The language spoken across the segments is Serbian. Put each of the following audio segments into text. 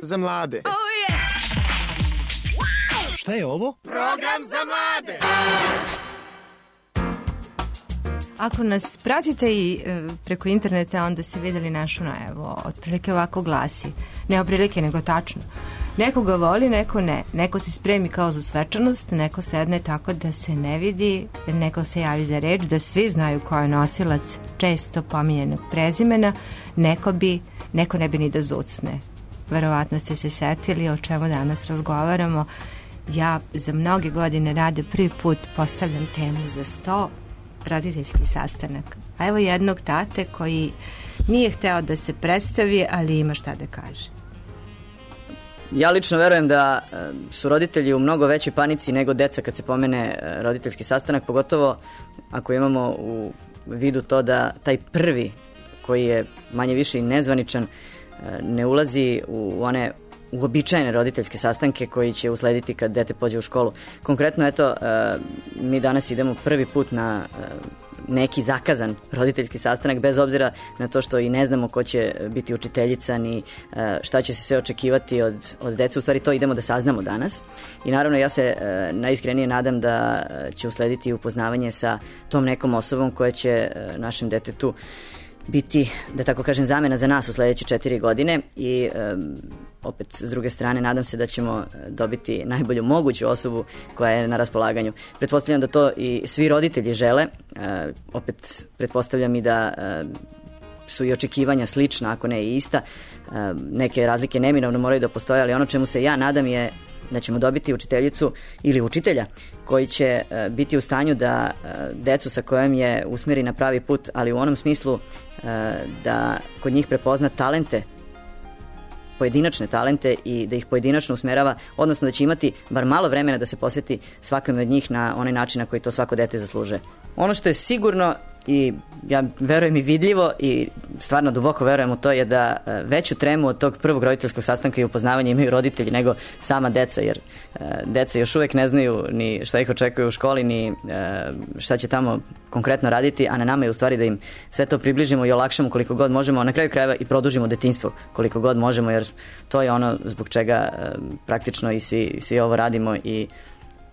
za mlade. Šta je ovo? Program za mlade. Ako nas pratite i preko interneta, onda ste videli našu najavu. Otprilike ovako glasi. Ne otprilike, nego tačno. Neko ga voli, neko ne. Neko se spremi kao za svečanost, neko sedne tako da se ne vidi, neko se javi za reč, da svi znaju ko je nosilac često pominjenog prezimena, neko ne bi ni da zucne. Verovatno ste se setili o čemu danas razgovaramo. Ja za mnoge godine rade prvi put postavljam temu za 100 roditeljski sastanak. A evo jednog tate koji nije hteo da se predstavi, ali ima šta da kaže. Ja lično verujem da su roditelji u mnogo većoj panici nego deca kad se pomene roditeljski sastanak, pogotovo ako imamo u vidu to da taj prvi, koji je manje više i nezvaničan, ne ulazi u one uobičajene roditeljske sastanke koji će uslediti kad dete pođe u školu. Konkretno, eto, mi danas idemo prvi put na neki zakazan roditeljski sastanak, bez obzira na to što i ne znamo ko će biti učiteljica ni šta će se sve očekivati od dece. U stvari to idemo da saznamo danas. I naravno ja se najiskrenije nadam da će uslediti upoznavanje sa tom nekom osobom koja će našem detetu biti, da tako kažem, zamena za nas u sledeće 4 godine i opet s druge strane nadam se da ćemo dobiti najbolju moguću osobu koja je na raspolaganju. Pretpostavljam da to i svi roditelji žele, opet pretpostavljam i da su i očekivanja slična, ako ne i ista. Neke razlike neminovno moraju da postoje, ali ono čemu se ja nadam je da ćemo dobiti učiteljicu ili učitelja koji će biti u stanju da decu sa kojom je usmeri na pravi put, ali u onom smislu da kod njih prepozna talente, pojedinačne talente i da ih pojedinačno usmerava, odnosno da će imati bar malo vremena da se posveti svakome od njih na onaj način na koji to svako dete zaslužuje. Ono što je sigurno i ja verujem i vidljivo i stvarno duboko verujem u to je da veću tremu od tog prvog roditeljskog sastanka i upoznavanja imaju roditelji nego sama deca, jer deca još uvek ne znaju ni šta ih očekuje u školi, ni šta će tamo konkretno raditi, a na nama je u stvari da im sve to približimo i olakšamo koliko god možemo, a na kraju krajeva i produžimo detinjstvo koliko god možemo, jer to je ono zbog čega praktično i svi ovo radimo i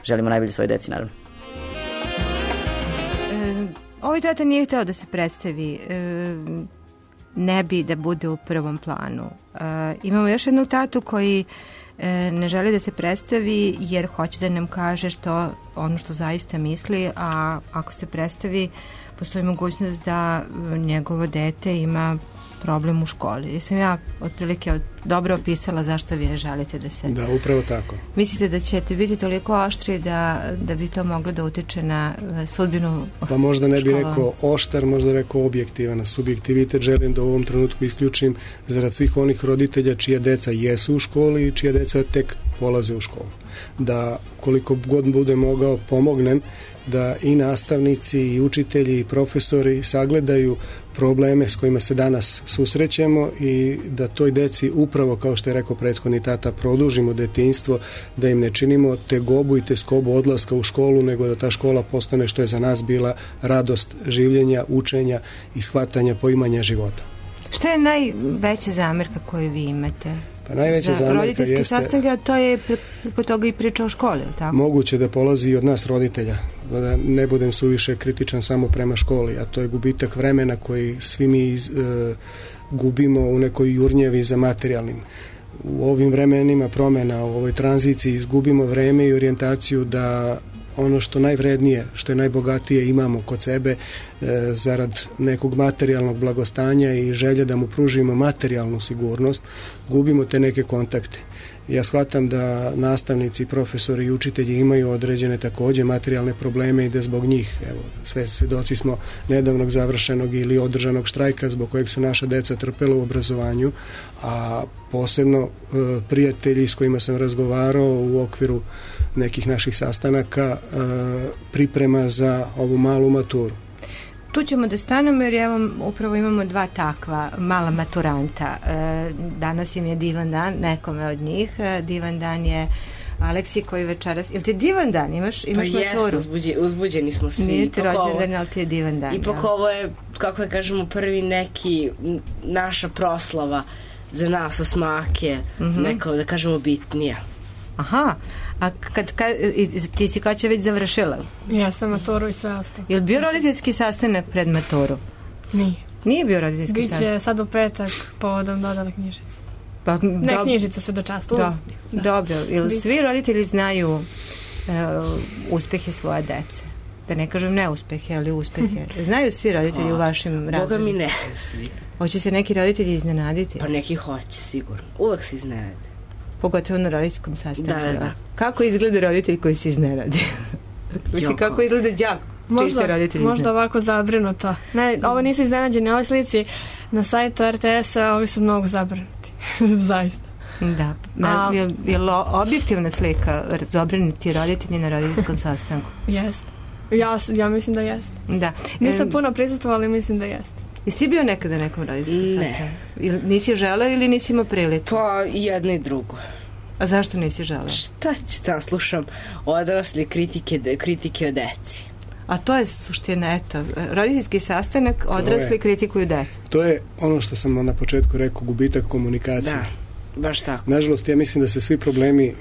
želimo najbolje svoje deci, naravno. Ovaj tata nije hteo da se predstavi, ne bi da bude u prvom planu. Imamo još jednog tatu koji ne želi da se predstavi jer hoće da nam kaže ono što zaista misli, a ako se predstavi postoji mogućnost da njegovo dete ima problem u školi. Jesam ja otprilike dobro opisala zašto vi ne želite da se... Da, upravo tako. Mislite da ćete biti toliko oštri da bi to moglo da utiče na sudbinu škola? Pa možda ne bih rekao oštar, možda rekao objektivan. Subjektivitet želim da u ovom trenutku isključim zarad svih onih roditelja čija deca jesu u školi i čija deca tek polaze u školu. Da koliko god budem mogao pomognem da i nastavnici i učitelji i profesori sagledaju probleme s kojima se danas susrećemo i da toj deci upravo, kao što je rekao prethodni tata, produžimo detinjstvo, da im ne činimo tegobu i teskobu odlaska u školu, nego da ta škola postane što je za nas bila radost življenja, učenja i shvatanja poimanja života. Šta je najveća zamerka koju vi imate? Pa najveća za zamerka roditeljski jeste... sastanak, to je preko toga i priča o školi, tako? Moguće da polazi i od nas roditelja, da ne budem suviše kritičan samo prema školi, a to je gubitak vremena koji svi mi gubimo u nekoj jurnjevi za materijalnim. U ovim vremenima promjena, u ovoj tranziciji izgubimo vreme i orijentaciju da ono što najvrednije, što je najbogatije imamo kod sebe zarad nekog materijalnog blagostanja i želje da mu pružimo materijalnu sigurnost, gubimo te neke kontakte. Ja shvatam da nastavnici, profesori i učitelji imaju određene takođe materijalne probleme i da zbog njih, evo, sve svedoci smo nedavnog završenog ili održanog štrajka zbog kojeg su naša deca trpela u obrazovanju, a posebno prijatelji s kojima sam razgovarao u okviru nekih naših sastanaka priprema za ovu malu maturu. Tu ćemo da stanemo jer evo upravo imamo dva takva mala maturanta. Danas im je divan dan, nekome od njih. Divan dan je Aleksi koji večeras... Jel ti divan dan? Imaš maturu? Pa jest, uzbuđeni smo svi. Nije ti rođendan, ali ti je divan dan. Ipak ovo je, kako je kažemo, prvi neki naša proslava za nas osmake neka, da kažemo, bitnija. Aha, a ti si kad će već završila? Ja sam maturu i sve ostalo. Je li bio roditeljski sastanak pred maturu? Nije. Nije bio roditeljski sastanak? Biće sad u petak povodom dodale knjižice. Pa, ne knjižica se dočastu. Da. Dobro, ili svi roditelji znaju uspehe svoje dece? Da ne kažem neuspehe, ali uspehe. Znaju svi roditelji u vašim razredima? Boga mi ne svi. Hoće se neki roditelji iznenaditi? Pa neki hoće, sigurno. Uvek se iznenade. Pogotovo na roditeljskom sastanku. Da. Kako izgleda roditelj koji se iznenadi? Mislim, kako izgleda đak? Možda ovako zabrinuto. Ne, ovo nisu iznenađeni. Ove slici na sajtu RTS-a, ovi su mnogo zabrinuti. Zaista. Da. Je li objektivna slika zabrinuti roditelji na roditeljskom sastanku? Jeste. Ja mislim da jeste. Da. Nisam puno prisustvovala, ali mislim da jeste. Jesi ti bio nekada na nekom roditeljskom sastanku? Nisi želeo ili nisi imao priliku? Pa jedno i drugo. A zašto nisi želeo? Šta ću tamo, slušam odrasle kritike o deci. A to je suština, eto, roditeljski sastanak, odrasli kritikuju decu. To je ono što sam na početku rekao, gubitak komunikacije. Da, baš tako. Nažalost, ja mislim da se svi problemi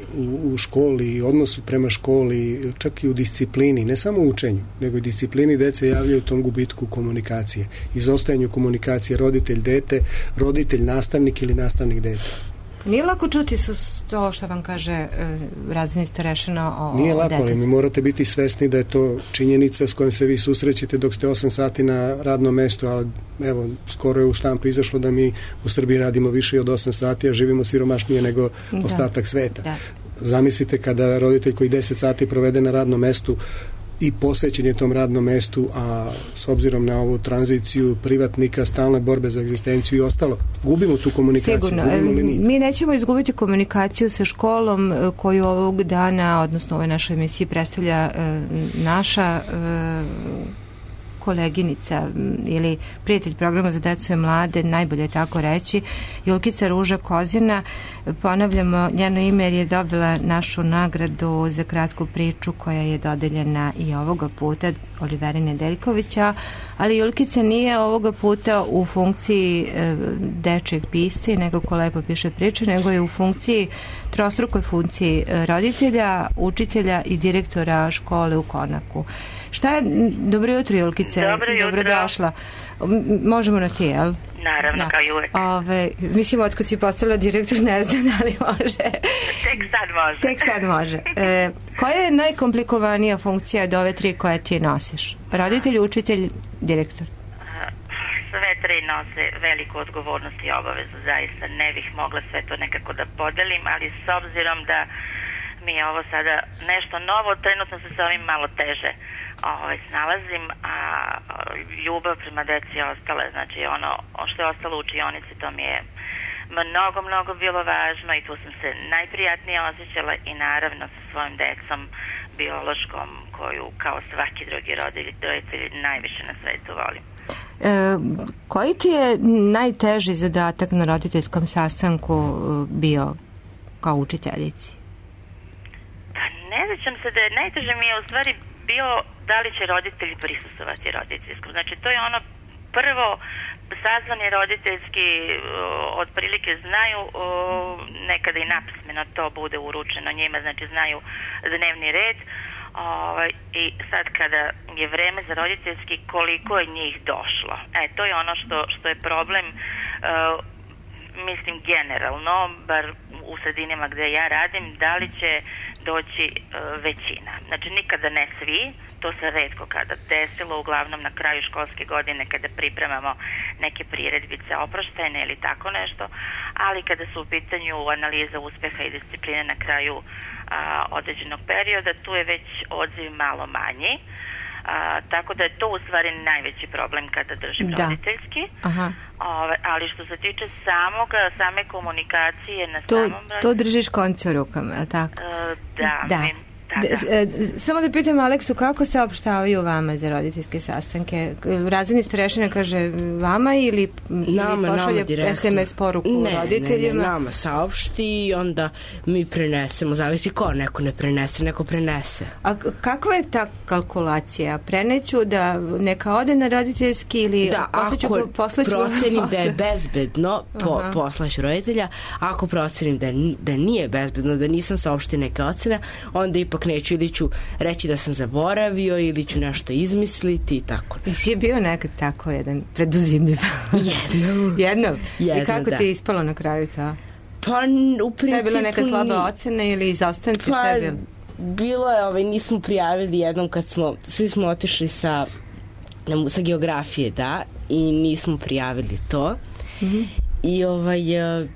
u školi i odnosu prema školi, čak i u disciplini, ne samo u učenju, nego i disciplini dece javljaju tom gubitku komunikacije. Izostajanju komunikacije roditelj-dete, roditelj-nastavnik ili nastavnik-dete. Nije lako čuti to što vam kaže razredni starešina o Nije lako, detetu. ali mi morate biti svesni da je to činjenica s kojom se vi susrećete dok ste 8 sati na radnom mestu, ali evo, skoro je u štampu izašlo da mi u Srbiji radimo više od 8 sati, a živimo siromašnije nego ostatak sveta. Da. Zamislite kada roditelj koji 10 sati provede na radnom mestu i posvećen je tom radnom mestu, a s obzirom na ovu tranziciju privatnika, stalne borbe za egzistenciju i ostalo, gubimo tu komunikaciju. Sigurno. Mi nećemo izgubiti komunikaciju sa školom koju ovog dana, odnosno ove naše emisije predstavlja naša koleginica ili prijatelj programa za decu i mlade, najbolje je tako reći, Julkica Ruža Kozina. Ponavljamo njeno ime jer je dobila našu nagradu za kratku priču koja je dodeljena i ovoga puta Oliveri Nedeljkovića, ali Julkica nije ovoga puta u funkciji dečjeg pisca, nego ko lepo piše priče, nego je u funkciji, trostrukoj funkciji roditelja, učitelja i direktora škole u Konaku. Šta je, dobro jutro Julkice, dobrodošla. Možemo na ti, jel? Naravno, kao i uvek. Mislim, otkud si postala direktor, ne znam, ali može. Tek sad može. Koja je najkomplikovanija funkcija od ove tri koje ti nosiš? Roditelj, učitelj, direktor? Sve tri nose veliku odgovornost i obavezu, zaista ne bih mogla sve to nekako da podelim, ali s obzirom da mi je ovo sada nešto novo, trenutno se sa ovim malo teže snalazim, a ljubav prema deci je ostala, znači ono što je ostalo u učionici, to mi je mnogo bilo važno i tu sam se najprijatnije osjećala i naravno sa svojim decom biološkom, koju kao svaki drugi roditelj najviše na svetu volim. Koji ti je najteži zadatak na roditeljskom sastanku bio kao učiteljici? Pa ne sjećam se da je najteže mi je u stvari bio da li će roditelji prisustvovati roditeljskom. Znači to je ono prvo, sazvani roditeljski otprilike znaju, nekada i napismeno to bude uručeno njima, znači znaju dnevni red, i sad kada je vreme za roditeljski, koliko je njih došlo. To je ono što je problem, mislim generalno, bar u sredinama gde ja radim, da li će doći većina. Znači nikada ne svi, to se retko kada desilo, uglavnom na kraju školske godine kada pripremamo neke priredbice oproštajne ili tako nešto, ali kada su u pitanju analiza uspeha i discipline na kraju određenog perioda, tu je već odziv malo manji. Tako da je to u stvari najveći problem kada držim roditeljski. Ali što se tiče same komunikacije na samom... To držiš konce u rukama, je li tako? Da. Samo da pitam Aleksu, kako se opštavaju vama za roditeljske sastanke? Razredni starešina kaže vama ili pošalje SMS poruku roditeljima? Ne, nama saopšti i onda mi prenesemo, zavisi ko, neko ne prenese, neko prenese. A kakva je ta kalkulacija? Preneću da neka ode na roditeljski ili poslaću? Procenim da je bezbedno, poslaću roditelja, ako procenim da nije bezbedno, da nisam saopštio neke ocene, onda ipak neću, ili ću reći da sam zaboravio ili ću nešto izmisliti i tako nešto. Jesi ti bio nekad tako jedan preduzimljiv? Jedno? I kako ti je ispalo na kraju to? Pa u principu... Šta je bila neka slaba ocena ili izostanci? Pa bilo je, nismo prijavili jednom kad svi smo otišli sa geografije, i nismo prijavili to. I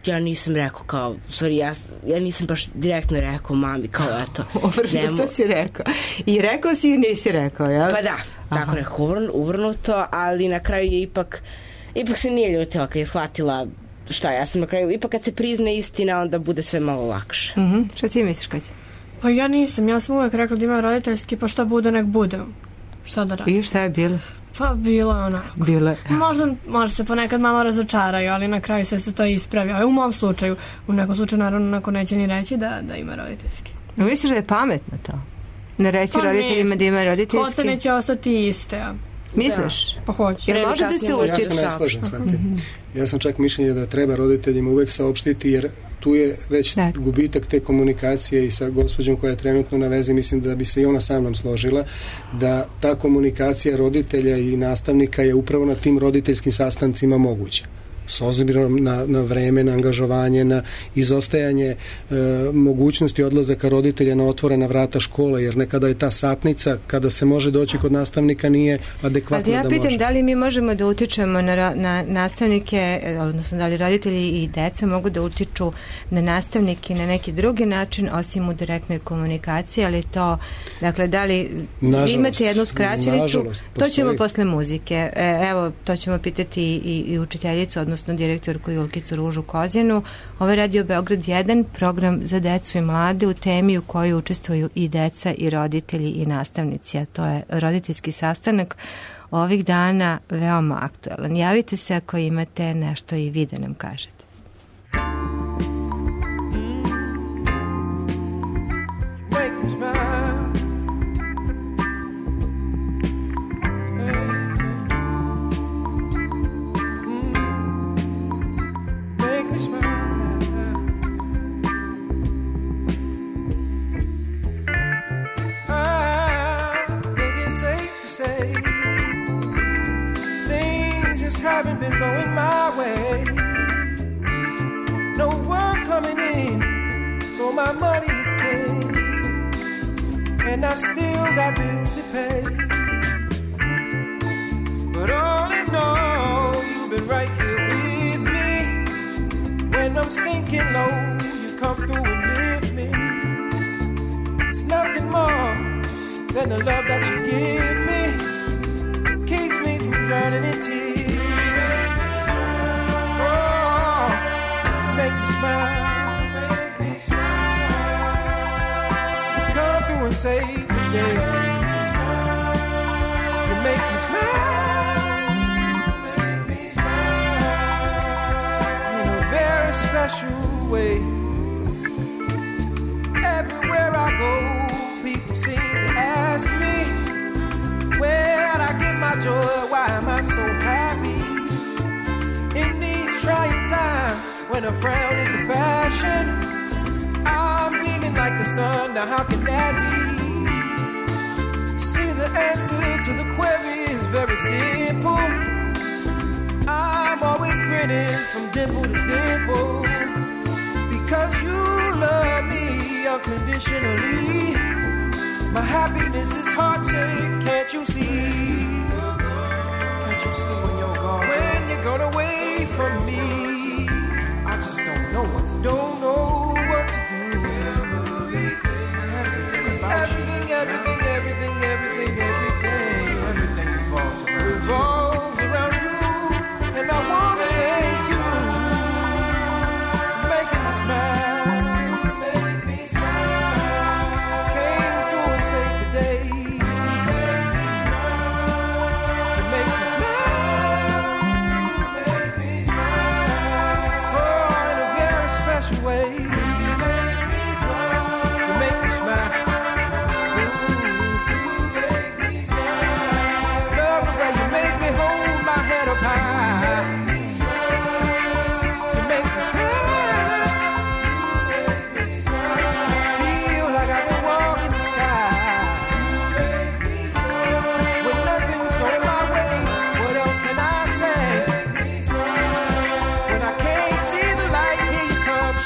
ja nisam rekao kao, ja nisam baš direktno rekao mami kao eto. Što si rekao? I rekao si i nisi rekao, jel? Pa da, tako rekao, uvrnuto, ali na kraju je ipak se nije ljutila kad je shvatila šta ja sam na kraju, ipak kad se prizna istina onda bude sve malo lakše. Šta ti misliš, Kaća? Pa ja sam uvek rekla da ima roditeljski, pa šta bude nek bude. Šta da radim? I šta je bilo? Pa bilo je onako. Možda se ponekad malo razočaraju, ali na kraju sve se to ispravi. U mom slučaju, u nekom slučaju naravno neko neće ni reći da ima roditeljski. Misliš da je pametno to? Ne reći roditeljima da ima roditeljski? Ocene će ostati iste. Misliš? Pa hoće. Jer može da se uči. Ja se ne slažem sa tim. Ja sam čak mišljenja da treba roditeljima uvek saopštiti, jer tu je već gubitak te komunikacije i sa gospođom koja je trenutno na vezi, mislim da bi se i ona sa mnom složila, da ta komunikacija roditelja i nastavnika je upravo na tim roditeljskim sastancima moguća. S obzirom na vreme, na angažovanje, na izostajanje mogućnosti odlazaka roditelja na otvorena vrata škole, jer nekada je ta satnica kada se može doći kod nastavnika nije adekvatno da može. Ja pitam da li mi možemo da utičemo na nastavnike, odnosno da li roditelji i deca mogu da utiču na nastavnike na neki drugi način osim u direktnoj komunikaciji, ali to, dakle, da li imate jednu skraćenicu, to ćemo posle muzike. Evo, to ćemo pitati i učiteljicu, odnosno direktorku Julkicu Ružu Kozjenu. Ovo je Radio Beograd 1, program za decu i mlade u temi u kojoj učestvuju i deca i roditelji i nastavnici, a to je roditeljski sastanak ovih dana veoma aktualan. Javite se ako imate nešto i vi da nam kažete. Haven't been going my way. No work coming in, so my money is thin, and I still got bills to pay. But all in all, you've been right here with me. When I'm sinking low, you come through and lift me. It's nothing more than the love that you give me. Keeps me from drowning in tears. Make me smile. You come through and save the day. You make me smile. In a very special way. Everywhere I go, people seem to ask me, where'd I get my joy? Why am I so happy? In these trying times, when a frown is the fashion, I'm beaming like the sun. Now how can that be? See, the answer to the query is very simple. I'm always grinning from dimple to dimple, because you love me unconditionally. My happiness is heart-shaped, can't you see? Can't you see when you're gone? When you're gone away from me, I just don't know what to do. Everything revolves around you. And I wanna thank you for making me smile. Came through special way. You make me smile. You make me smile. Ooh, you make me smile. Love the way you make me hold my head up high. You make me smile. You make me smile. You make me smile. Feel like I can walk in the sky. You make me smile. When nothing's going my way, what else can I say?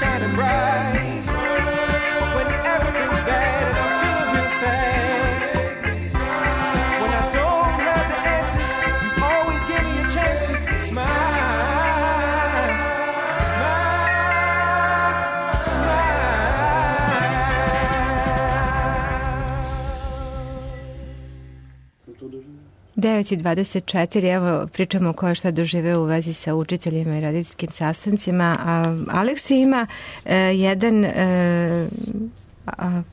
Shining bright when everything's bad and I'm feeling real sad. When I don't have the answers, you always give me a chance to smile, smile, smile. 9:24, evo pričamo ko je šta doživeo u vezi sa učiteljima i roditeljskim sastancima. Aleksi ima jedan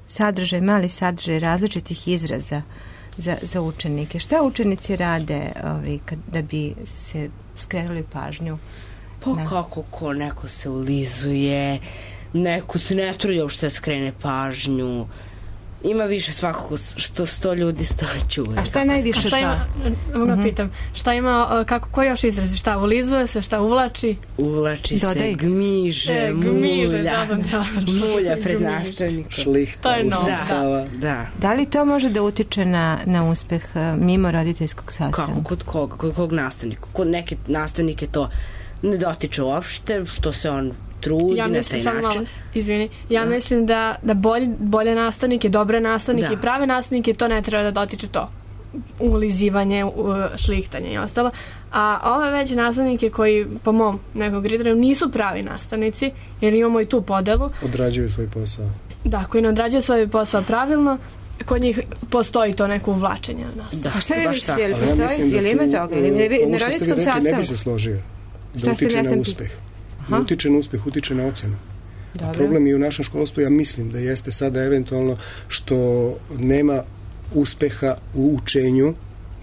sadržaj, mali sadržaj različitih izraza za učenike. Šta učenici rade da bi se skrenuli pažnju? Pa kako ko, neko se ulizuje, neko se ne trudi uopšte skrene pažnju. Ima više svakako, što 100 ljudi 100 čuje. A šta je najviše? Šta ima, pitam, šta ima, ko još izrazi? Šta ulizuje se, šta uvlači? Uvlači se, gmiže, mulja. Mulja pred nastavnikom. Šlihta, usisava. Da li to može da utiče na uspeh mimo roditeljskog sastanka? Kako, kod koga? Kod kog nastavnika? Kod neke nastavnike to ne dotiče uopšte, što se on trudi na taj način. Ja mislim da bolje nastavnike, dobre nastavnike i prave nastavnike, to ne treba da dotiče to. Ulizivanje, šlihtanje i ostalo. A ove već nastavnike koji, po mom nekog kriteriju, nisu pravi nastavnici, jer imamo i tu podelu. Odrađuju svoj posao. Da, koji ne odrađuju svoj posao pravilno, kod njih postoji to neko uvlačenje na nastavu. A šta vi mislite, je li postoji? Je li ima toga? Ovo što ste vi rekli, ne bi se složio. Da utiče na uspeh. Ne utiče na uspeh, utiče na ocenu. A problem je u našem školstvu, ja mislim da jeste sada eventualno što nema uspeha u učenju,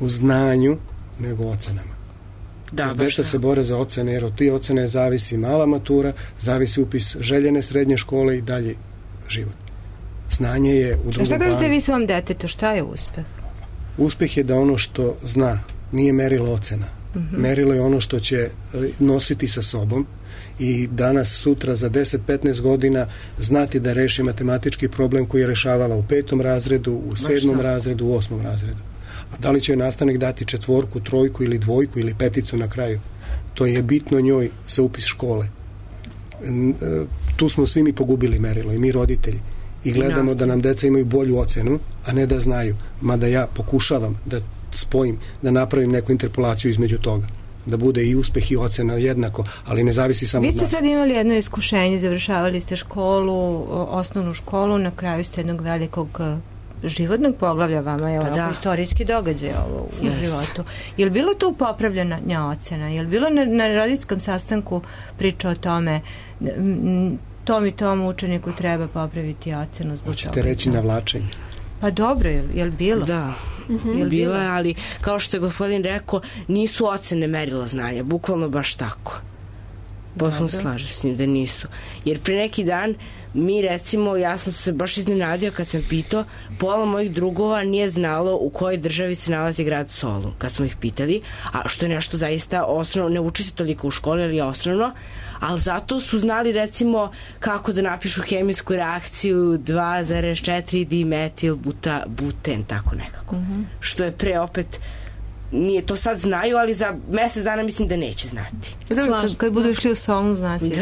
u znanju, nego u ocenama. Deca se bore za ocene, jer od tih ocene zavisi mala matura, zavisi upis željene srednje škole i dalje život. Znanje je u drugom planu. Šta kažete vi svom detetu, šta je uspeh? Uspeh je da ono što zna nije merilo ocena. Merilo je ono što će nositi sa sobom i danas, sutra, za 10-15 godina znati da reši matematički problem koji je rešavala u 5. razredu, u 7. razredu, u 8. razredu. A da li će nastavnik dati 4, 3 ili 2 ili 5 na kraju? To je bitno njoj za upis škole. Tu smo svi mi pogubili merilo, i mi roditelji. I gledamo da nam deca imaju bolju ocenu, a ne da znaju. Mada ja pokušavam da spojim, da napravim neku interpolaciju između toga. Da bude i uspeh i ocena jednako, ali ne zavisi samo od nas. Vi ste sad imali jedno iskušenje, završavali ste školu, osnovnu školu, na kraju ste jednog velikog životnog poglavlja, vama je ovako istorijski događaj ovo u životu. Je li bilo tu popravljanja ocena? Je li bilo na roditeljskom sastanku priča o tome tom i tom učeniku treba popraviti ocenu zbog toga? Hoćete reći navlačenje? Pa dobro, je li bilo? Da. Bilo je, ali kao što je gospodin rekao, nisu ocene merilo znanja, bukvalno baš tako. Potpuno slažem s njim da nisu. Jer pre neki dan mi, recimo, ja sam se baš iznenadio kad sam pitao, pola mojih drugova nije znalo u kojoj državi se nalazi grad Solun, kad smo ih pitali, a što je nešto zaista osnovno, ne uči se toliko u školi, ali je osnovno, ali zato su znali, recimo, kako da napišu hemijsku reakciju 2,4 dimetil buten, tako nekako. Što je pre opet, nije to sad znaju, ali za mesec dana mislim da neće znati. Kad budu išli u Solun, znači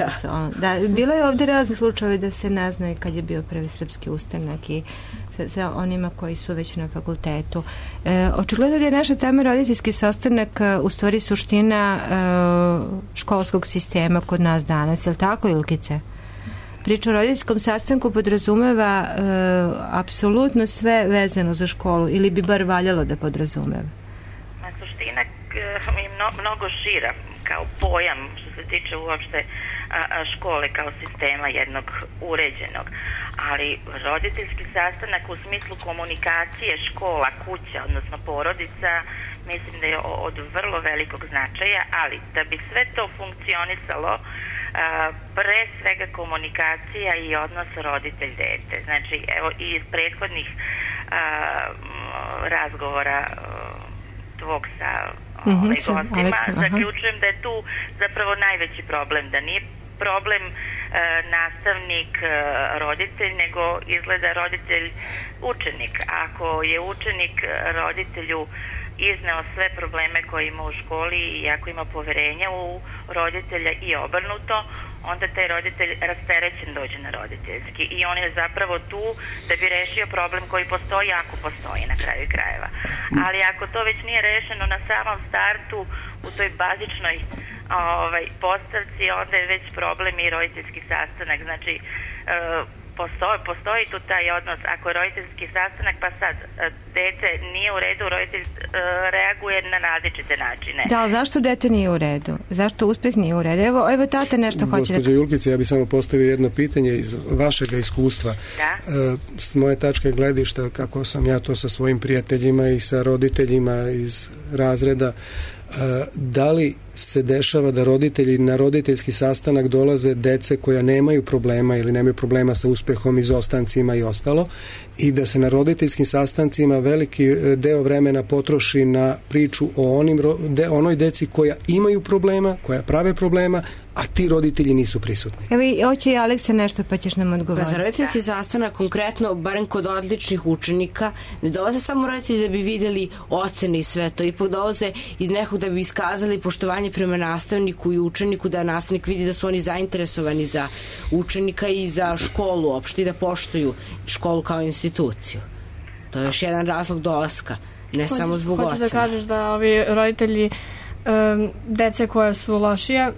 da. Bilo je ovdje razni slučajevi da se ne zna kad je bio prvi srpski ustanak i sa onima koji su već na fakultetu. Očigledno da je naša tema roditeljski sastanak u stvari suština školskog sistema kod nas danas. Je li tako, Ilkice? Priča o roditeljskom sastanku podrazumeva apsolutno sve vezano za školu, ili bi bar valjalo da podrazumeva? Suština je mnogo šira kao pojam što se tiče uopšte škole kao sistema jednog uređenog, ali roditeljski sastanak u smislu komunikacije škola, kuća, odnosno porodica, mislim da je od vrlo velikog značaja, ali da bi sve to funkcionisalo pre svega komunikacija i odnos roditelj-dete. Znači, evo i iz prethodnih razgovora tvog sa gostima, zaključujem da je tu zapravo najveći problem, da nije problem nastavnik roditelj, nego izgleda roditelj učenik. Ako je učenik roditelju izneo sve probleme koje ima u školi i ako ima poverenja u roditelja i obrnuto, onda taj roditelj rasterećen dođe na roditeljski i on je zapravo tu da bi rešio problem koji postoji, ako postoji na kraju krajeva. Ali ako to već nije rešeno na samom startu u toj bazičnoj postavci, onda je već problem i roditeljski sastanak. Znači, postoji tu taj odnos. Ako je roditeljski sastanak, pa sad dete nije u redu, roditelj reaguje na različite načine. Da, ali zašto dete nije u redu? Zašto uspeh nije u redu? Evo tata nešto hoće da... Gospođo Julkice, ja bih samo postavio jedno pitanje iz vašeg iskustva. Da? S moje tačke gledišta, kako sam ja to sa svojim prijateljima i sa roditeljima iz razreda, da li se dešava da roditelji na roditeljski sastanak dolaze dece koja nemaju problema ili nemaju problema sa uspehom, izostancima i ostalo, i da se na roditeljskim sastancima veliki deo vremena potroši na priču o onoj deci koja imaju problema, koja prave problema, a ti roditelji nisu prisutni. Evo, hoće i Aleksa nešto, pa ćeš nam odgovoriti. Pa za roditeljski sastanak konkretno, barem kod odličnih učenika, ne dolaze samo roditelji da bi vidjeli ocene i sve to, ipak dolaze iz nekog da bi iskazali poštovanje prema nastavniku i učeniku, da nastavnik vidi da su oni zainteresovani za učenika i za školu uopšte i da poštuju školu kao instituciju. To je još jedan razlog dolaska, ne samo zbog ocena. Hoćeš da kažeš da ovi roditelji dece koje su lošije,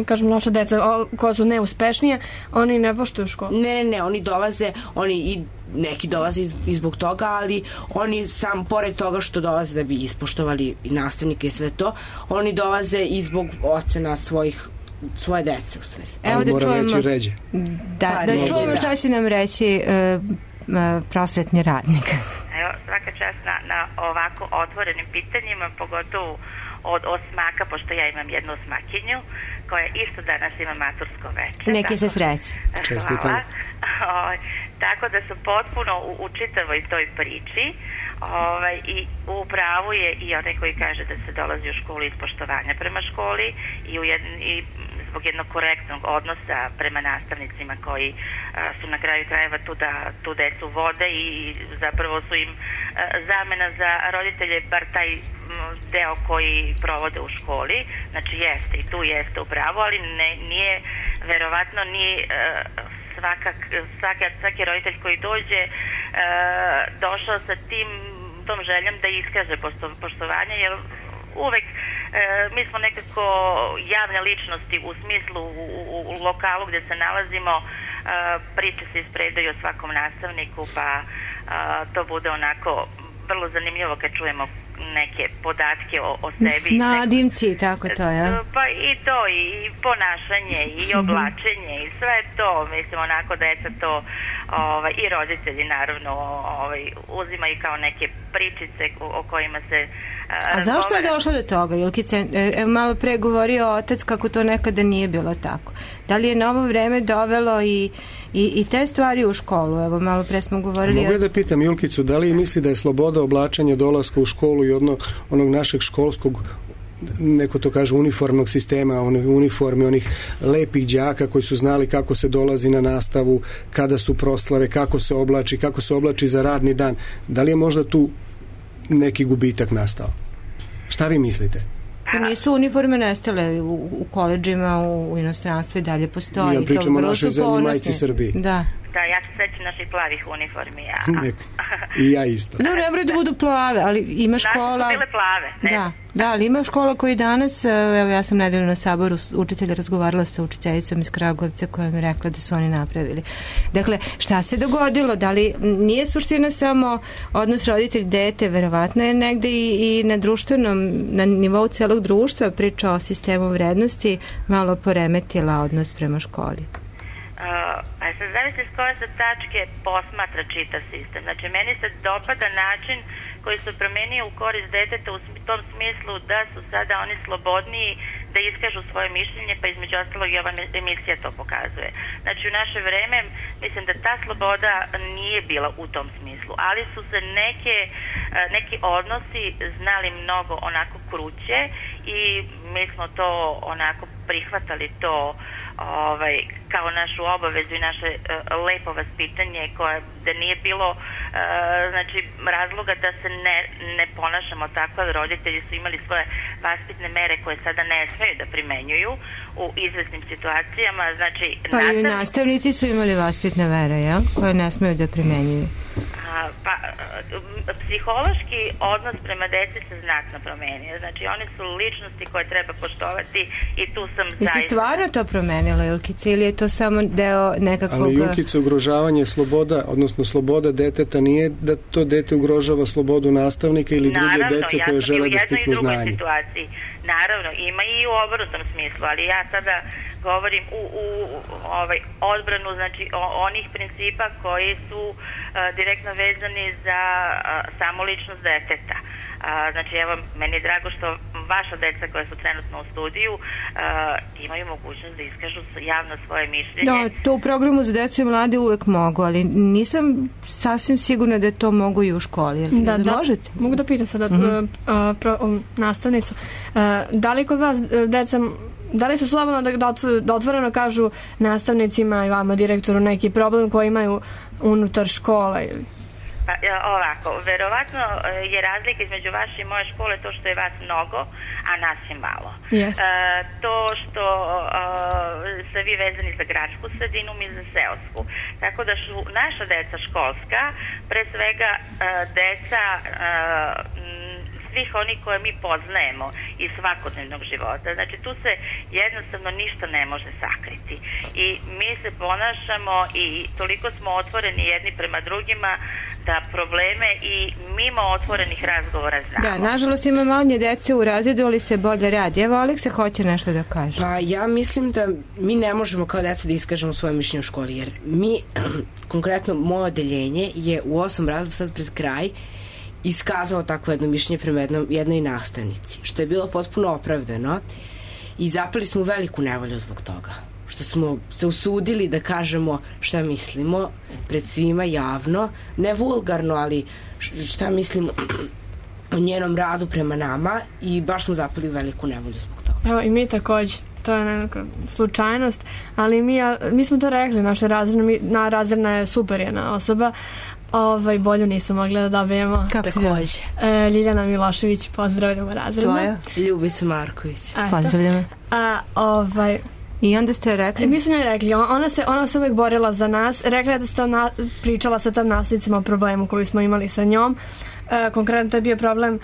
kažem loša deca, koja su neuspešnije, oni ne poštuju školu. Ne, oni dolaze, neki dolaze i zbog toga, ali oni sam, pored toga što dolaze da bi ispoštovali i nastavnike i sve to, oni dolaze i zbog ocena svoje dece, u stvari. Evo da moram reći ređe. Da čujemo šta će nam reći prosvetni radnik. Evo, svaka čast na ovako otvorenim pitanjima, pogotovo od osmaka, pošto ja imam jednu osmakinju koja isto danas ima matursko večer. Neki se sreće. Hvala. Tako da sam potpuno u čitavoj toj priči i u pravu je i onaj koji kaže da se dolazi u školu iz poštovanja prema školi i zbog jednog korektnog odnosa prema nastavnicima koji su na kraju krajeva tu da tu decu vode i zapravo su im zamena za roditelje, bar taj deo koji provode u školi. Znači jeste i tu jeste u pravu, ali nije, verovatno nije svaki roditelj koji dođe došao sa tom željom da iskaže poštovanje, jer uvek mi smo nekako javne ličnosti u smislu u lokalu gde se nalazimo, priče se ispredaju o svakom nastavniku, pa to bude onako vrlo zanimljivo kad čujemo neke podatke o sebi. Nadimci, tako to je. Pa i to, i ponašanje, i oblačenje, i sve to, mislim, onako deca to i roditelji naravno uzimaju kao neke pričice o kojima se A zašto je došlo do toga, Julkice? Malo pre govorio otac kako to nekada nije bilo tako. Da li je novo vreme dovelo i te stvari u školu? Evo, malo pre smo govorili... Mogu da pitam Julkicu, da li misli da je sloboda oblačenja dolaska u školu i onog našeg školskog, neko to kaže, uniformnog sistema, uniformi, onih lepih đaka koji su znali kako se dolazi na nastavu, kada su proslave, kako se oblači za radni dan. Da li je možda tu neki gubitak nastao? Šta vi mislite? Nisu uniforme nestale u koleđima, u inostranstvu i dalje postoji. Ja pričam o našoj zemlji, majci Srbiji. Da. Da, ja se sećam naših plavih uniformi. I ja isto. No, ne moraju da budu plave, ali ima škola... Naše su bile plave. Da, ali ima škola koji danas, evo ja sam nedeljno na saboru učitelja razgovarala sa učiteljicom iz Kragujevca koja mi rekla da su oni napravili. Dakle, šta se dogodilo? Da li nije suština samo odnos roditelj-dete, verovatno je negde i na društvenom, na nivou celog društva priča o sistemu vrednosti malo poremetila odnos prema školi? Pa se zavisi s koje se tačke posmatra čitav sistem. Znači, meni se dopada način koji se promenio u korist deteta u tom smislu da su sada oni slobodniji, da da iskažu svoje mišljenje, pa između ostalog i ova emisija to pokazuje. Znači u naše vreme mislim da ta sloboda nije bila u tom smislu, ali su se neki odnosi znali mnogo onako kruće i mi smo to onako prihvatali to kao našu obavezu i naše lepo vaspitanje koje da nije bilo znači razloga da se ne ponašamo tako, ali roditelji su imali svoje vaspitne mere koje sada ne smeju da primenjuju u izvesnim situacijama. Znači, pa i nastavnici su imali vaspitne mere, jel? Koje ne smeju da primenjuju. Psihološki odnos prema deci se znatno promenio. Znači, oni su ličnosti koje treba poštovati i tu sam zaista... Jesi stvarno to promenila, Julkice, ili je to samo deo nekakvog... Ali, Julkice, ugrožavanje sloboda, odnosno sloboda deteta nije da to dete ugrožava slobodu nastavnika ili druge dece koje žele da stiknu znanje. Naravno, ima i u obrnutom smislu, ali ja sada govorim u odbranu, znači onih principa koji su direktno vezani za samoličnost deteta. Znači, evo, meni je drago što vaša deca koja su trenutno u studiju imaju mogućnost da iskažu javno svoje mišljenje. Da, to u programu za decu i mlade uvek mogu, ali nisam sasvim sigurna da to mogu i u školi. Da, možete? Mogu da pitam sada nastavnicu. Da li kod vas deca, da li su slobodno da otvoreno kažu nastavnicima i vama, direktoru, neki problem koji imaju unutar škola ili... Ovako, verovatno je razlika između vaše i moje škole to što je vas mnogo, a nas je malo. Yes. To što ste vi vezani za gradsku sredinu, mi za seosku. Tako da su naša deca školska, pre svega deca svih onih koje mi poznajemo iz svakodnevnog života. Znači, tu se jednostavno ništa ne može sakriti. I mi se ponašamo i toliko smo otvoreni jedni prema drugima da probleme i mimo otvorenih razgovora znamo. Da, nažalost ima manje dece u razredu, ali se bolje radi. Evo, Aleksa hoće nešto da kaže. Pa ja mislim da mi ne možemo kao deca da iskažemo svoje mišljenje u školi, jer mi, konkretno moje odeljenje je u 8 razreda sad pred kraj iskazalo takvo jedno mišljenje prema jednoj nastavnici, što je bilo potpuno opravdano i zapali smo u veliku nevolju zbog toga. Što smo se usudili da kažemo šta mislimo pred svima javno, ne vulgarno, ali šta mislimo o njenom radu prema nama i baš smo zapali u veliku nevolju zbog toga. Evo i mi takođe. To je neka slučajnost, ali mi smo to rekli, naša razredna je super jedna osoba, bolju nisam mogla da dobijemo. Kako se dođe? Ljiljana Milošević, pozdravljamo razredno. Tvoja? Ljubica Marković. Pozdravljamo. I onda ste rekli? Mi smo njoj rekli, ona se uvek borila za nas, rekla je da ste pričala sa tom nastavnicima o problemu koju smo imali sa njom. Konkretno to je bio problem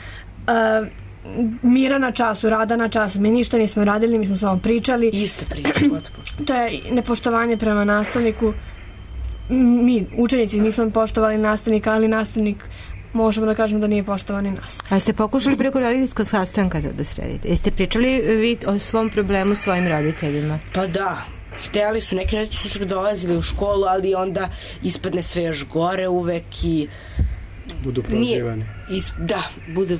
mira na času, rada na času. Mi ništa nismo radili, mi smo samo pričali. Iste priče, potpuno. To je nepoštovanje prema nastavniku. Mi, učenici, nismo poštovali nastavnika, ali nastavnik možemo da kažemo da nije poštovani nas. A ste pokušali preko roditeljskog sastanka da sredite? Jeste pričali vi o svom problemu svojim roditeljima? Pa da. Hteli su, neki roditelji su dolazili u školu, ali onda ispadne sve još gore uvek i budu prozivani. Da, budu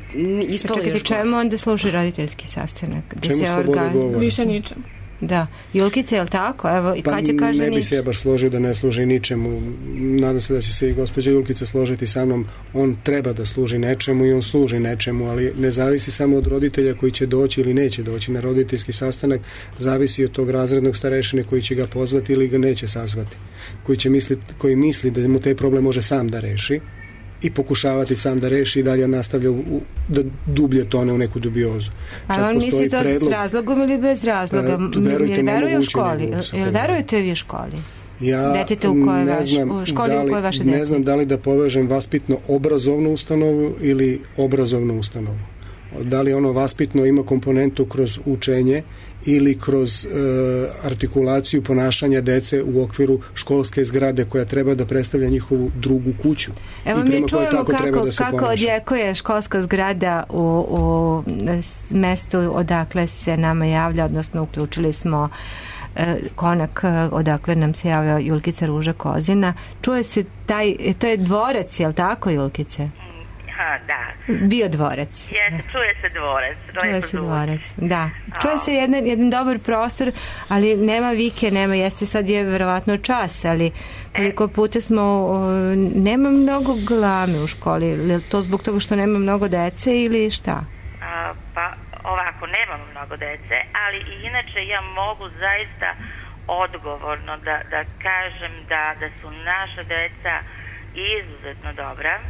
ispalo još gore. Čekajte, čemu onda služi roditeljski sastanak? Čemu sloboda govora? Više ničem. Da. Julkice, je li tako? Evo, pa kad će kaže ne bi se ja baš složio da ne služi ničemu. Nadam se da će se i gospođa Julkica složiti sa mnom. On treba da služi nečemu i on služi nečemu, ali ne zavisi samo od roditelja koji će doći ili neće doći na roditeljski sastanak, zavisi od tog razrednog starešine koji će ga pozvati ili ga neće sazvati. Koji misli da mu taj problem može sam da reši i pokušavati sam da reši i dalje nastavlja da dublje tone u neku dubiozu. A on misli to s razlogom ili bez razloga? Veruje u školi? Jel verujete vi u školi? Ja ne znam da li da povežem vaspitno obrazovnu ustanovu ili obrazovnu ustanovu. Da li ono vaspitno ima komponentu kroz učenje ili kroz artikulaciju ponašanja dece u okviru školske zgrade koja treba da predstavlja njihovu drugu kuću. Evo mi čujemo kako odjekuje školska zgrada u mestu odakle se nama javlja, odnosno uključili smo konak odakle nam se javlja Julkica Ruža Kozina. Čuje se to je dvorac, je li tako, Julkice? Da. Bio dvorac. Čuje se dvorac. Čuje se dvorac, da. Čuje se jedan dobar prostor, ali nema vike, jeste sad je verovatno čas, ali koliko puta nema mnogo galame u školi, je to zbog toga što nema mnogo dece ili šta? Pa ovako, nemamo mnogo dece, ali i inače ja mogu zaista odgovorno da kažem da su naša deca izuzetno dobra.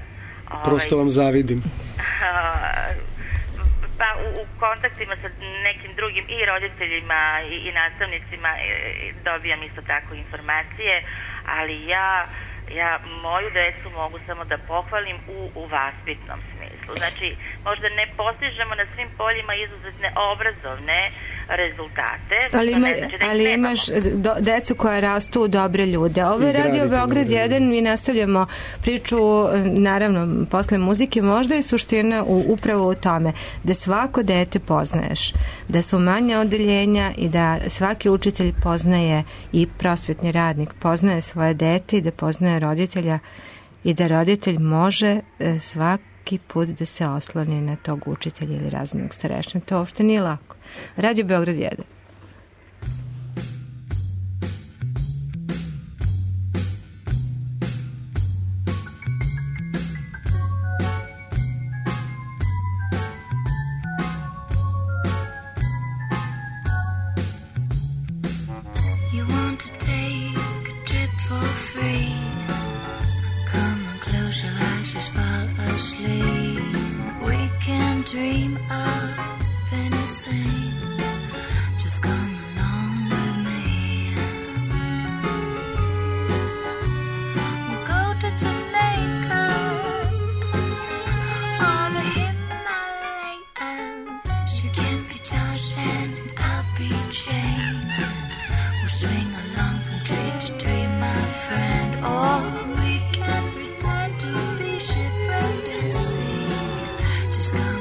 Prosto vam zavidim. Pa u kontaktima sa nekim drugim i roditeljima i nastavnicima dobijam isto tako informacije, ali ja moju decu mogu samo da pohvalim u vaspitnom smislu. Znači, možda ne postižemo na svim poljima izuzetne obrazovne rezultate. Ali imaš decu koja rastu u dobre ljude. Ovo je Radio Beograd 1, mi nastavljamo priču, naravno, posle muzike, možda je suština upravo u tome da svako dete poznaješ, da su manja odeljenja i da svaki učitelj poznaje i prosvetni radnik poznaje svoje dete i da poznaje roditelja i da roditelj može svaki put da se osloni na tog učitelja ili razrednog starešinu. To uopšte nije lako. Radio Beograd 1. Dream of anything, just come along with me. We'll go to Jamaica or the Himalayas. You can be Josh and I'll be Jane. We'll swing along from tree to tree, my friend. Or we can pretend to be shipwrecked at sea. Just come.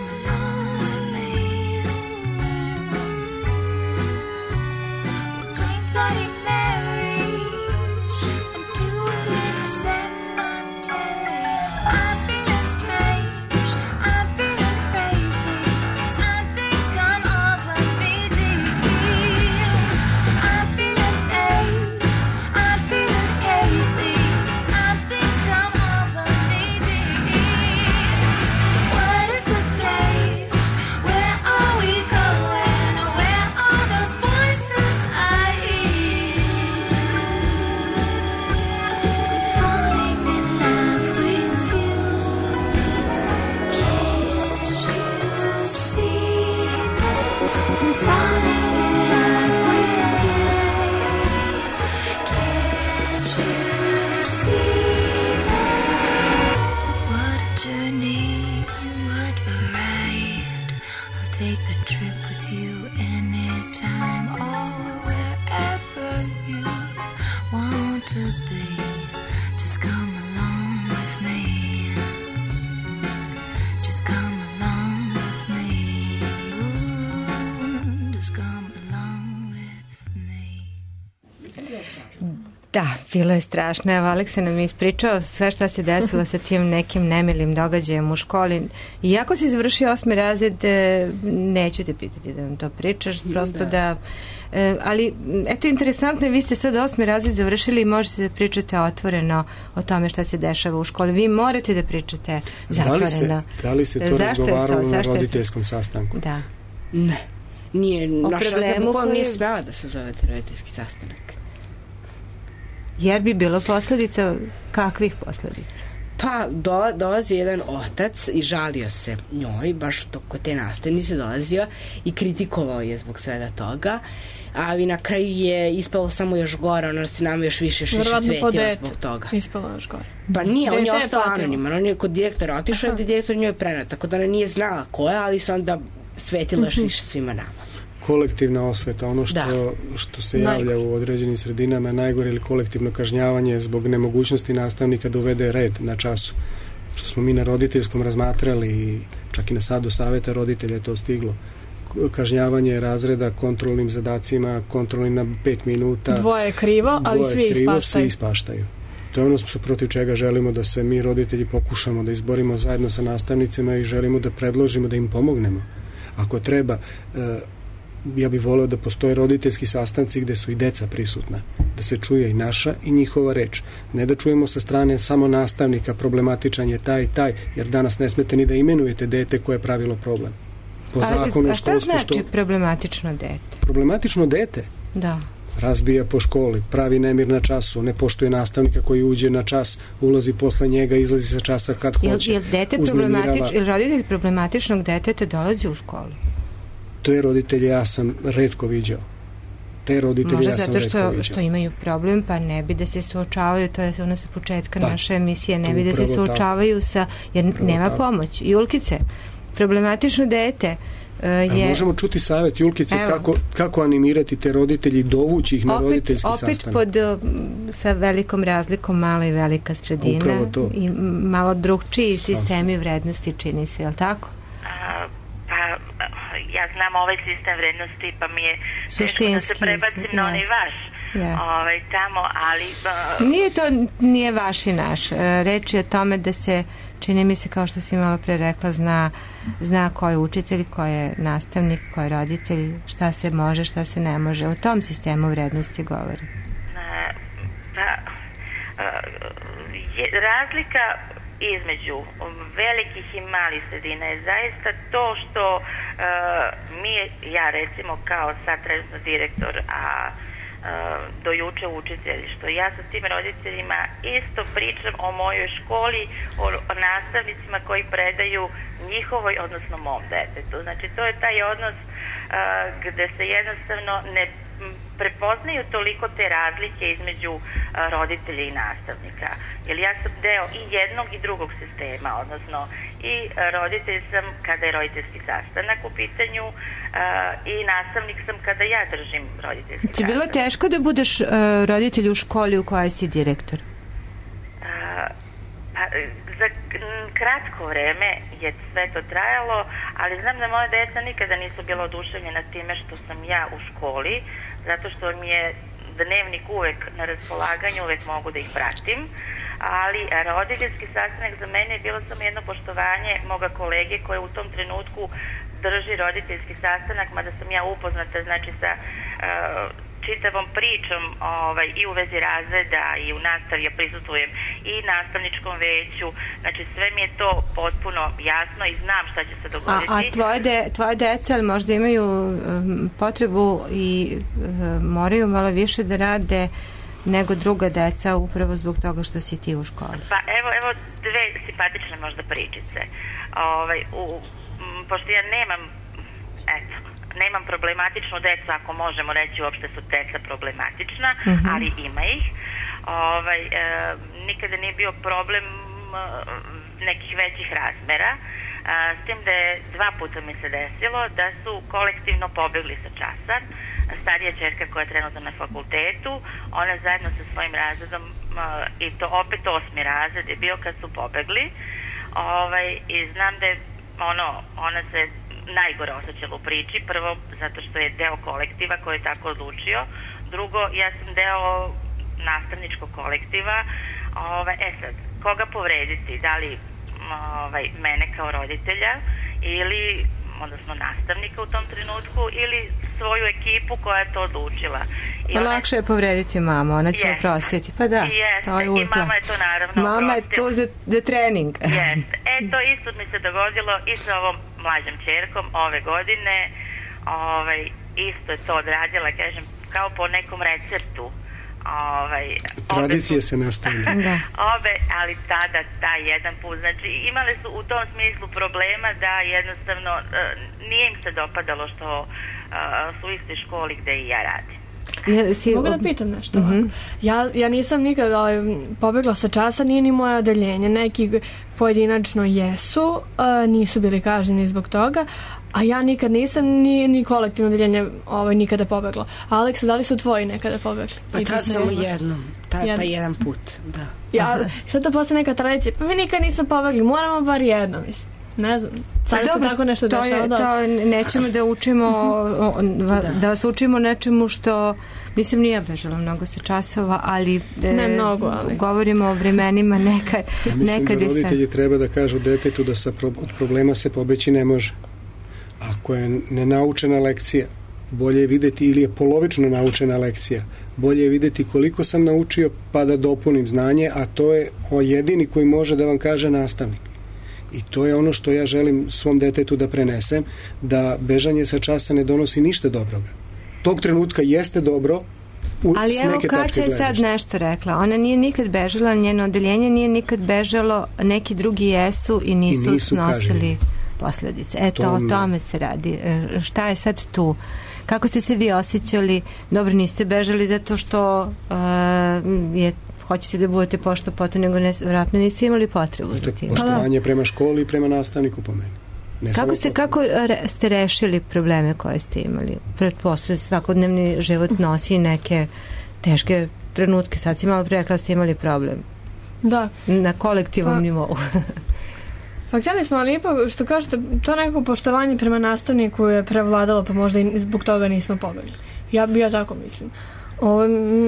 Da, bilo je strašno. Evo, Aleksa nam je ispričao sve šta se desilo sa tim nekim nemilim događajem u školi. Iako si završio 8. razred, neću te pitati da nam to pričaš, prosto da... ali, eto, interesantno je, vi ste sad 8. razred završili i možete da pričate otvoreno o tome šta se dešava u školi. Vi morate da pričate zatvoreno. Da li se to razgovaralo na roditeljskom sastanku? Da. Ne. Nije, naša razred nije smela da se zovete roditeljski sastanak. Jer bi bilo posledica, kakvih posledica? Pa dolazi jedan otac i žalio se njoj, baš kod te nastavnice dolazio i kritikovao je zbog svega toga, ali na kraju je ispalo samo još gore, ona se nama još više svetila zbog toga. Ispalo još gore. Pa nije, on je ostao anoniman, on je kod direktora otišao da je direktor njoj prenao, tako da ona nije znala ko je, ali se onda svetila još više svima nama. Kolektivna osveta, ono što se javlja u određenim sredinama je najgore, ili kolektivno kažnjavanje zbog nemogućnosti nastavnika da uvede red na času. Što smo mi na roditeljskom razmatrali i čak i na sadu saveta roditelja je to stiglo. Kažnjavanje razreda kontrolnim zadacima, kontrolni na 5 minuta. Dvoje je krivo, ali svi ispaštaju. Svi ispaštaju. To je ono protiv čega želimo da se mi roditelji pokušamo da izborimo zajedno sa nastavnicima i želimo da predložimo da im pomognemo. Ako treba, ja bih voleo da postoje roditeljski sastanci gde su i deca prisutna, da se čuje i naša i njihova reč. Ne da čujemo sa strane samo nastavnika problematičan je taj i taj, jer danas ne smete ni da imenujete dete koje je pravilo problem. Po zakonu a šta znači problematično dete? Problematično dete? Da. Razbija po školi, pravi nemir na času, ne poštuje nastavnika koji uđe na čas, ulazi posle njega, izlazi sa časa kad hoće. Jel roditelj problematičnog deteta dolazi u školu? To je roditelje ja sam retko viđao. Možda zato što imaju problem, pa ne bi da se suočavaju, to je ono sa početka naše emisije, ne bi da se suočavaju sa, jer nema pomoć. Julkice, problematično dete je... Možemo čuti savjet Julkice kako animirati te roditelji i dovući ih na roditeljski sastanak. Opet sa velikom razlikom mala i velika sredina i malo drugčiji sistemi vrednosti čini se, je li tako? Ja znam ovaj sistem vrednosti, pa mi je teško da se prebacim na onaj vaš tamo, ali... Nije vaš i naš. Reč je o tome da se, čini mi se, kao što si malo pre rekla, zna ko je učitelj, ko je nastavnik, ko je roditelj, šta se može, šta se ne može. O tom sistemu vrednosti govori. Razlika između velikih i malih sredina je zaista to što ja recimo kao sad trenutno direktor, a do juče učitelj, što ja sa tim roditeljima isto pričam o mojoj školi, o nastavnicima koji predaju njihovoj, odnosno mom detetu. Znači to je taj odnos gde se jednostavno ne prepoznaju toliko te razlike između roditelja i nastavnika. Jer ja sam deo i jednog i drugog sistema, odnosno i roditelj sam kada je roditeljski sastanak u pitanju i nastavnik sam kada ja držim roditeljski sastanak. Ti bilo teško da budeš roditelj u školi u kojoj si direktor? Za kratko vreme je sve to trajalo, ali znam da moja deca nikada nisu bila oduševljena time što sam ja u školi, zato što mi je dnevnik uvek na raspolaganju, uvek mogu da ih pratim, ali roditeljski sastanak za mene je bilo samo jedno poštovanje moga kolege koje u tom trenutku drži roditeljski sastanak, mada sam ja upoznata znači sa čitavom pričom i u vezi razreda i u nastavi ja prisustvujem i nastavničkom veću, znači sve mi je to potpuno jasno i znam šta će se dogoditi. A tvoje deca možda imaju potrebu i moraju malo više da rade nego druga deca upravo zbog toga što si ti u školi? Pa evo dve simpatične možda pričice. Pošto ja nemam problematičnu decu, ako možemo reći uopšte su deca problematična, ali ima ih. Nikada nije bio problem nekih većih razmera, s tim da je 2 puta mi se desilo da su kolektivno pobegli sa časa. Starija ćerka koja je trenutno na fakultetu, ona zajedno sa svojim razredom, i to opet 8. razred je bio kad su pobegli, i znam da je ona se najgore osjećala u priči, prvo zato što je deo kolektiva koji je tako odlučio, drugo ja sam deo nastavničkog kolektiva. Sad, koga povrediti, da li mene kao roditelja ili odnosno nastavnika u tom trenutku ili svoju ekipu koja je to odlučila. Lakše je povrediti mamu, ona će oprostiti. Pa da, to je i mama je to naravno mama je tu za trening. To isto mi se dogodilo i sa ovom mlađom ćerkom ove godine. Isto je to odradila, kažem, kao po nekom receptu. Tradicije se nastavlja. Ali tada, taj jedan put, znači imale su u tom smislu problema da jednostavno nije im se dopadalo što su u istoj školi gde i ja radim. Mogu da pitam nešto? Ja nisam nikad pobegla sa časa, nije ni moje odeljenje. Neki pojedinačno jesu, nisu bili kažnjeni zbog toga, a ja nikad nisam ni kolektivno odeljenje nikada pobeglo. Aleksa, da li su tvoji nekada pobegli? Pa tad samo jednom, pa jedan put, da. Sad to postaje neka tradicija, pa mi nikad nisam pobegli, moramo bar jedno, mislim. Ne znam. Sad se tako nešto dešava. To nećemo da učimo, da vas učimo nečemu što, mislim, nije bežalo mnogo sa časova, ali, ne mnogo, ali govorimo o vremenima nekad. Ja mislim da roditelji treba da kažu detetu da od problema se pobeći ne može. Ako je nenaučena lekcija, bolje je videti, ili je polovično naučena lekcija, bolje je videti koliko sam naučio pa da dopunim znanje, a to je jedini koji može da vam kaže nastavnik. I to je ono što ja želim svom detetu da prenesem, da bežanje sa časa ne donosi ništa dobroga. Tog trenutka jeste dobro, ali evo Kaća je sad nešto rekla. Ona nije nikad bežala, njeno odeljenje nije nikad bežalo, neki drugi jesu i nisu snosili posledice. Eto, o tome se radi. Šta je sad tu? Kako ste se vi osjećali? Dobro, niste bežali zato što hoćete da budete pošto potom, nego vjerojatno niste imali potrebu za tim. Poštovanje prema školi i prema nastavniku po meni. Kako ste rešili probleme koje ste imali? Pretpostavljam, svakodnevni život nosi neke teške trenutke. Sad si malo rekla ste imali problem. Da. Na kolektivnom nivou. Pa htjeli smo, ali ipak, što kažete, to neko poštovanje prema nastavniku je prevladalo, pa možda i zbog toga nismo pobegli. Ja tako mislim.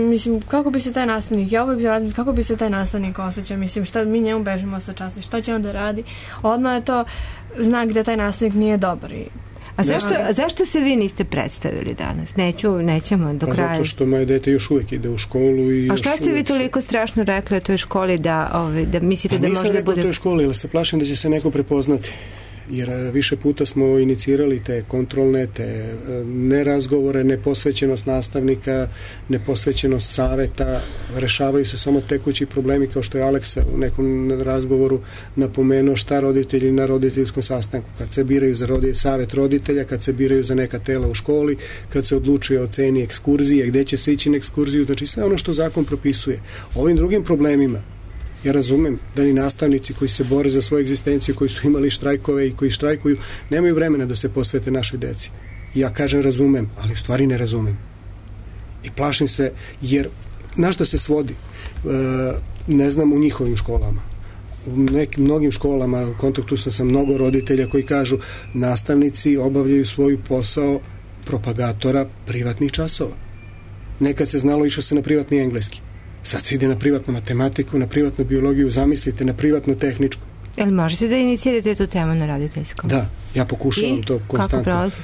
Mislim, kako bi se taj nastavnik, kako bi se taj nastavnik osjećao, mislim, šta mi njemu bežimo sa časa, šta će on da radi, odmah je to znak da taj nastavnik nije dobar. A zašto se vi niste predstavili danas? Nećemo do kraja. Zato što moje dete još uvijek ide u školu. A šta ste vi toliko strašno rekli o toj školi da mislite da može da bude... Nisam rekao o toj školi, ali se plašim da će se neko prepoznati. Jer više puta smo inicirali te kontrolne, te nerazgovore, neposvećenost nastavnika, neposvećenost saveta, rešavaju se samo tekući problemi, kao što je Aleksa u nekom razgovoru napomenuo, šta roditelji na roditeljskom sastanku, kad se biraju za savet roditelja, kad se biraju za neka tela u školi, kad se odlučuje o ceni ekskurzije, gde će se ići na ekskurziju, znači sve ono što zakon propisuje. Ovim drugim problemima ja razumem da ni nastavnici koji se bore za svoju egzistenciju, koji su imali štrajkove i koji štrajkuju, nemaju vremena da se posvete našoj deci. Ja kažem razumem, ali u stvari ne razumem. I plašim se, jer na što se svodi? Ne znam u njihovim školama. U mnogim školama, u kontaktu sam sa mnogo roditelja koji kažu nastavnici obavljaju svoj posao propagatora privatnih časova. Nekad se znalo, išlo se na privatni engleski. Sad se ide na privatnu matematiku, na privatnu biologiju, zamislite, na privatnu tehničku. Jel možete da inicirate tu temu na roditeljskom? Da, ja pokušavam to konstantno. Kako prolazi?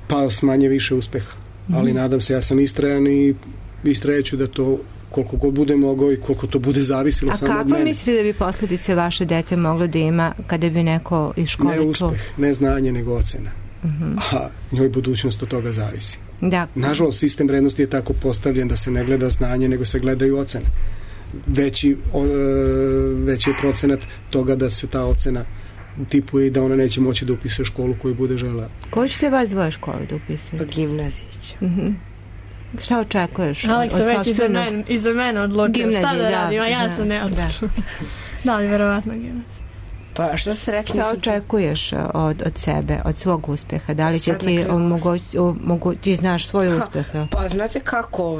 Pa s manje više uspeha. Ali nadam se, ja sam istrajan i istrajaću da to koliko god bude mogao i koliko to bude zavisilo samo od mene. A kako mislite da bi posljedice vaše dete moglo da ima kada bi neko iz škole... Ne uspeh, ne znanje, nego ocena. A njoj budućnost od toga zavisi. Da. Nažalost, sistem vrednosti je tako postavljen da se ne gleda znanje, nego se gledaju ocene. Veći je procenat toga da se ta ocena tipuje i da ona neće moći da upiše školu koju bude žela. Koju ćete vas dvoje škole da upisati? Pa gimnazić. Šta očekuješ? Aleksa već iza mene odlučio. Šta da radim, a ja sam ne odlučio. Da li verovatno gimnazija? Pa što se rekli? Šta očekuješ od sebe, od svog uspeha? Da li će ti ti znaš svoj uspeh? Pa znate kako,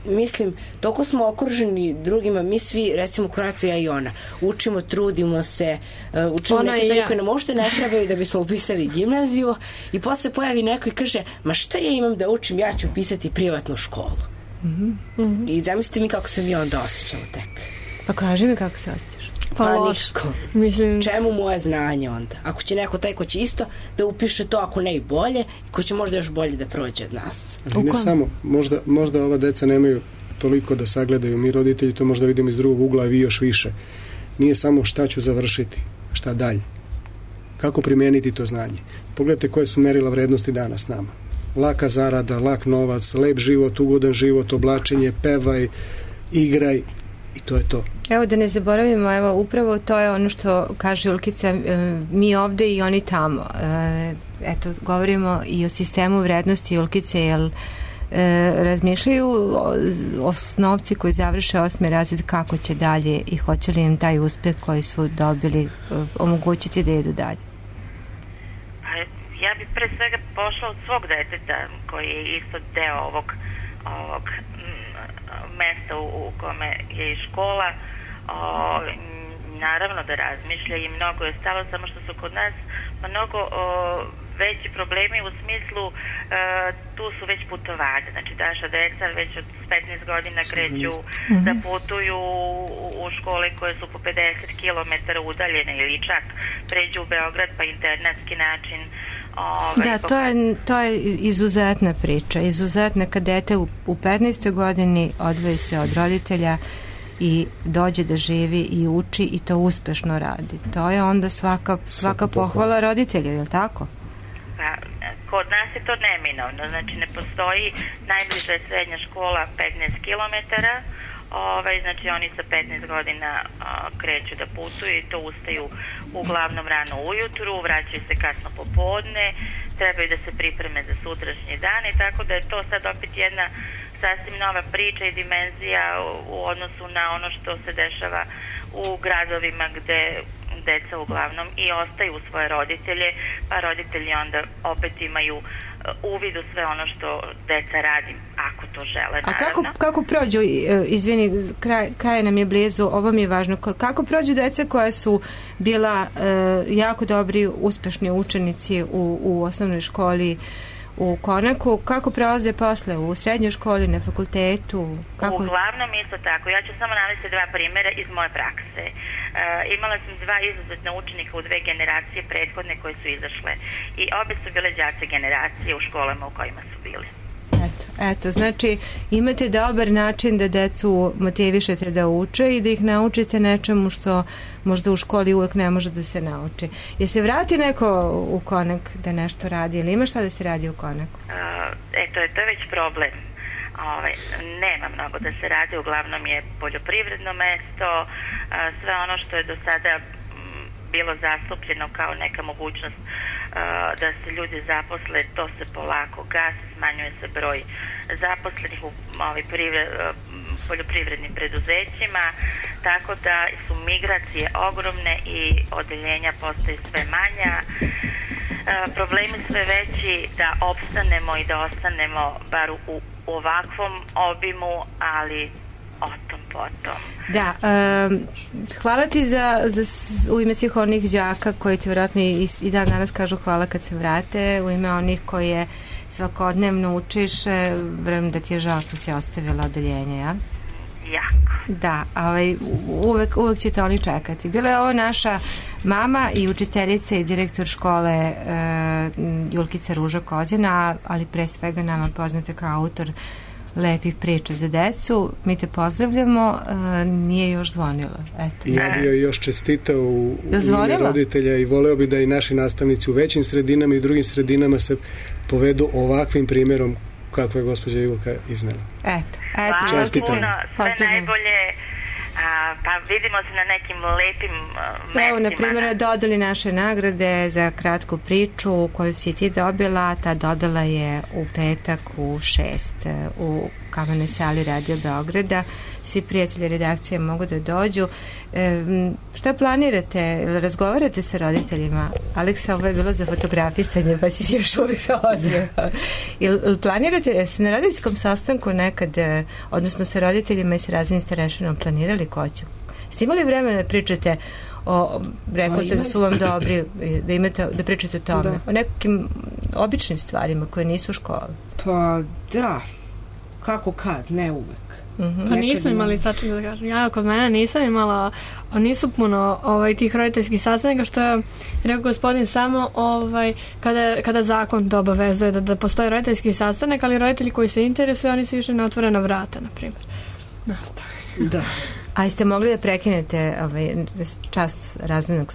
mislim, toliko smo okruženi drugima, mi svi, recimo Konato, ja i ona, učimo, trudimo se, učimo neke stvari koje nam uopšte ne trebaju da bismo upisali gimnaziju i posle pojavi neko i kaže, ma šta ja imam da učim, ja ću upisati privatnu školu. I zamislite mi kako se mi onda osjećamo tek. Pa kaži mi kako se osjećaš. Pa niško. Mislim... Čemu moje znanje onda? Ako će neko taj ko će isto da upiše to, ako ne i bolje, ko će možda još bolje da prođe od nas. Ali ne samo, možda ova deca nemaju toliko da sagledaju, mi roditelji to možda vidimo iz drugog ugla, a vi još više. Nije samo šta ću završiti, šta dalje. Kako primijeniti to znanje? Pogledajte koje su merila vrednosti danas nama. Laka zarada, lak novac, lep život, ugodan život, oblačenje, pevaj, igraj, i to je to. Evo da ne zaboravimo, evo upravo to je ono što kaže Julkica, mi ovde i oni tamo. Eto, govorimo i o sistemu vrednosti Julkice, jer razmišljaju osnovci koji završe 8. razred kako će dalje i hoće li im taj uspeh koji su dobili omogućiti da idu dalje. Ja bih pre svega pošla od svog deteta koji je isto deo ovog mesta u kome je i škola. naravno da razmišlja i mnogo je stalo, samo što su kod nas mnogo veći problemi u smislu tu su već putovanja, znači naša deca već od 15 godina kreću da putuju u škole koje su po 50 km udaljene ili čak pređu u Beograd pa internatski način. Da, to je izuzetna priča, izuzetna kad dete u 15. godini odvoji se od roditelja i dođe da živi i uči i to uspešno radi. To je onda svaka pohvala roditelja, je li tako? Pa, kod nas je to neminovno, znači ne postoji najbliža srednja škola 15 km, znači oni sa 15 godina kreću da putuju i to ustaju uglavnom rano ujutru, vraćaju se kasno popodne, trebaju da se pripreme za sutrašnji dan i tako da je to sad opet jedna sasvim nova priča i dimenzija u odnosu na ono što se dešava u gradovima gde deca uglavnom i ostaju u svoje roditelje, pa roditelji onda opet imaju uvid u sve ono što deca radi, ako to žele, naravno. A kako prođu, izvini, kraj nam je blizu, ovo mi je važno, kako prođu deca koja su bila jako dobri, uspešni učenici u osnovnoj školi u Konaku, kako prelaze posle u srednjoj školi, na fakultetu? Uglavnom isto tako. Ja ću samo navesti dva primjera iz moje prakse. Imala sam dva izuzetna učenika u dve generacije prethodne koje su izašle i obe su bile đaci generacije u školama u kojima su bili. Eto, znači imate dobar način da decu motivišete da uče i da ih naučite nečemu što možda u školi uvek ne može da se nauči. Je se vrati neko u Konak da nešto radi ili ima šta da se radi u Konaku? To je već problem. Nema mnogo da se radi, uglavnom je poljoprivredno mesto, sve ono što je do sada bilo zastupljeno kao neka mogućnost da se ljudi zaposle, to se polako gasi, smanjuje se broj zaposlenih u poljoprivrednim preduzećima, tako da su migracije ogromne i odeljenja postaju sve manja. Problemi sve veći da opstanemo i da ostanemo bar u ovakvom obimu, ali o tom potom. Da, hvala ti u ime svih onih đaka koji ti vjerojatno i dan danas kažu hvala kad se vrate, u ime onih koje svakodnevno učiš, vrem da ti je žao što si ostavila odeljenje, ja? Jako. Da, uvek ćete oni čekati. Bila je ovo naša mama i učiteljica i direktor škole Julkica Ruža Kozina, ali pre svega nama poznate kao autor lepih priča za decu. Mi te pozdravljamo, nije još zvonilo. Ja bio još čestitao u ime roditelja i voleo bi da i naši nastavnici u većim sredinama i drugim sredinama se povedu ovakvim primjerom kako je gospođa Julka iznela. Hvala puno, sve najbolje, pa vidimo se na nekim lepim mestima. Evo, na primjer, dodali naše nagrade za kratku priču koju si ti dobila, ta dodala je u petak u 6 u Kamenoj sali Radio Beograda. Svi prijatelji redakcije mogu da dođu. Šta planirate? Razgovarate sa roditeljima? Aleksa, ovo je bilo za fotografisanje, pa si još uvijek sa ozbiljno. Planirate se na roditeljskom sastanku nekad, odnosno sa roditeljima i sa raznim starešinom, planirali ko će? Ste imali vremena da pričate rekao ste da su vam dobri, da pričate o tome, o nekim običnim stvarima koje nisu u školi? Pa da, kako kad, ne uvek. Pa nismo imali, sačekaj da kažem, ja kod mene nisam imala, nisu puno tih roditeljskih sastanaka, što je rekao gospodin samo kada zakon to obavezuje da postoji roditeljski sastanak, ali roditelji koji se interesuju, oni su išli na otvorena vrata, na primjer. Da. A jeste mogli da prekinete čast razrednog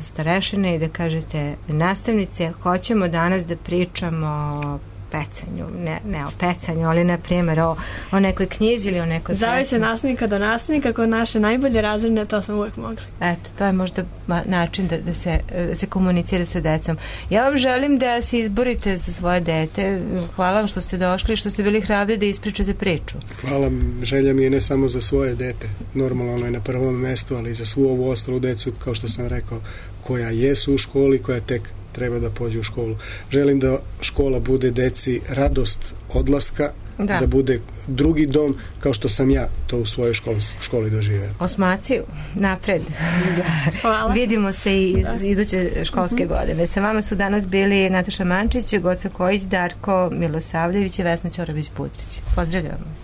starešine i da kažete nastavnice, hoćemo danas da pričamo o pecanju, ne o pecanju, ali na primjer o nekoj knjizi ili o nekoj pesmi. Zavise nastavnika do nastavnika, kod naše najbolje razredne, to smo uvijek mogli. Eto, to je možda način da se komunicira sa decom. Ja vam želim da se izborite za svoje dete. Hvala vam što ste došli, što ste bili hrabri da ispričate priču. Hvala, želja mi je ne samo za svoje dete, normalno ono je na prvom mestu, ali i za svu ovu ostalu decu, kao što sam rekao, koja jesu u školi, koja tek treba da pođe u školu. Želim da škola bude deci radost odlaska, da bude drugi dom, kao što sam ja to u svojoj školi doživeo. Osmaciju, napred. Hvala. Vidimo se i iduće školske godine. Sa vama su danas bili Nataša Mančić, Goca Kojić, Darko Milosavljević i Vesna Ćorović-Putrić. Pozdravljam vas.